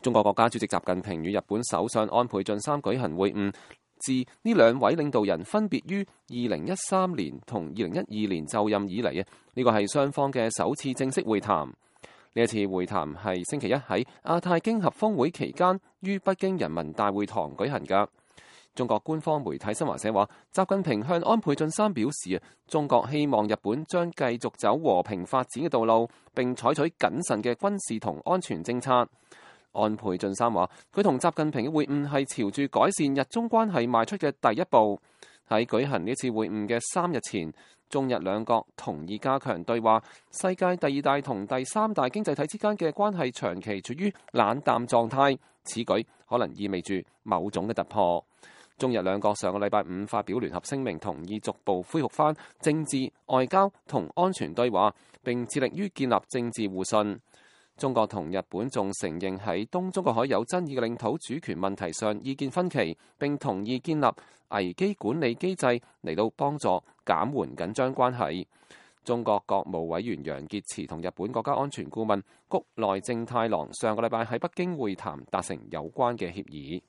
中國國家主席習近平與日本首相安倍晉三舉行會晤。自呢兩位領導人分別於2013年同2012年就任以嚟，呢個係雙方嘅首次正式會談。呢一次會談係星期一喺亞太經合峰會期間於北京人民大會堂舉行㗎。中國官方媒體新華社話，習近平向安倍晉三表示，中國希望日本將繼續走和平發展嘅道路，並採取謹慎嘅軍事同安全政策。安倍晉三話，佢同習近平嘅會晤係朝住改善日中關係邁出嘅第一步。喺舉行呢次會晤嘅3日前，中日兩國同意加強對話。世界第2大同第3大經濟體之間嘅關係長期處於冷淡狀態，此舉可能意味住某種嘅突破。中日兩國上個禮拜5發表聯合聲明，同意逐步恢復返政治、外交同安全對話，並致力於建立政治互信。中國同日本仲承認喺東中國海有爭議嘅領土主權問題上意見分歧，並同意建立危機管理機制嚟到幫助減緩緊張關係。中國國務委員楊潔篪同日本國家安全顧問谷內正太郎上個禮拜喺北京會談，達成有關嘅協議。